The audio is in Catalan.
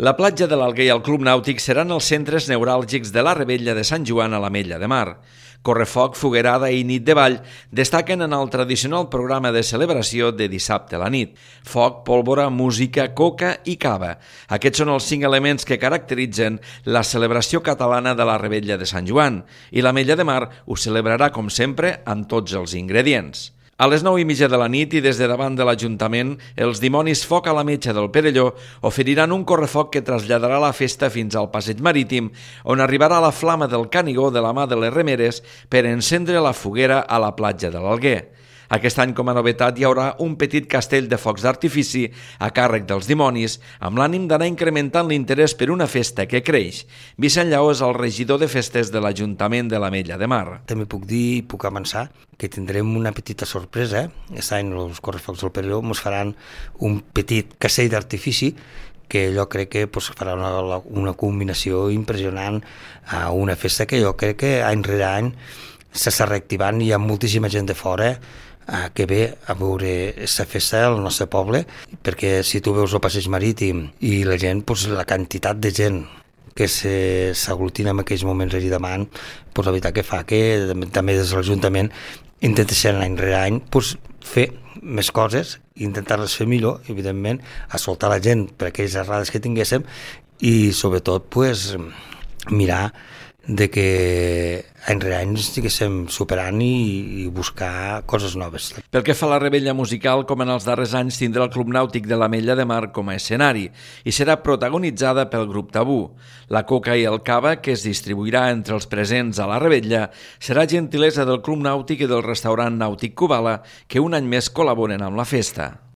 La platja de l'Alguer i el Club Nàutic seran els centres neuràlgics de la Revetlla de Sant Joan a l'Ametlla de Mar. Correfoc, foguerada i nit de ball destaquen en el tradicional programa de celebració de dissabte a la nit. Foc, pólvora, música, coca i cava. Aquests són els 5 elements que caracteritzen la celebració catalana de la Revetlla de Sant Joan, i l'Ametlla de Mar ho celebrarà, com sempre, amb tots els ingredients. A les 9:30 de la nit i des de davant de l'Ajuntament, els dimonis Foc a la Metxa del Perelló oferiran un correfoc que traslladarà la festa fins al passeig marítim, on arribarà la flama del Canigó de la mà de les remeres per encendre la foguera a la platja de l'Alguer. Aquest any, com a novetat, hi haurà un petit castell de focs d'artifici a càrrec dels dimonis, amb l'ànim d'anar incrementant l'interès per una festa que creix. Vicent Lleó és el regidor de festes de l'Ajuntament de l'Ametlla de Mar. També puc dir i puc avançar que tindrem una petita sorpresa. Aquest any els Correfocs del Perelló ens faran un petit castell d'artifici que jo crec que farà una combinació impressionant a una festa que jo crec que any rere any s'està reactivant i hi ha moltíssima gent de fora que ve a veure aquesta festa al nostre poble, perquè si tu veus el passeig marítim i la gent, la quantitat de gent que s'aglutina en aquells moments allà davant, la veritat que fa que també des de l'Ajuntament intenta ser any rere any fer més coses, intentar-les fer millor, evidentment, escoltar la gent per aquelles errades que tinguéssim i sobretot mirar de que any rere any estiguéssim superant i buscar coses noves. Pel que fa a la revetlla musical, com en els darrers anys, tindrà el Club Nàutic de l'Ametlla de Mar com a escenari i serà protagonitzada pel grup Tabú. La coca i el cava, que es distribuirà entre els presents a la revetlla, serà gentilesa del Club Nàutic i del restaurant Nàutic Kubala, que un any més col·laboren amb la festa.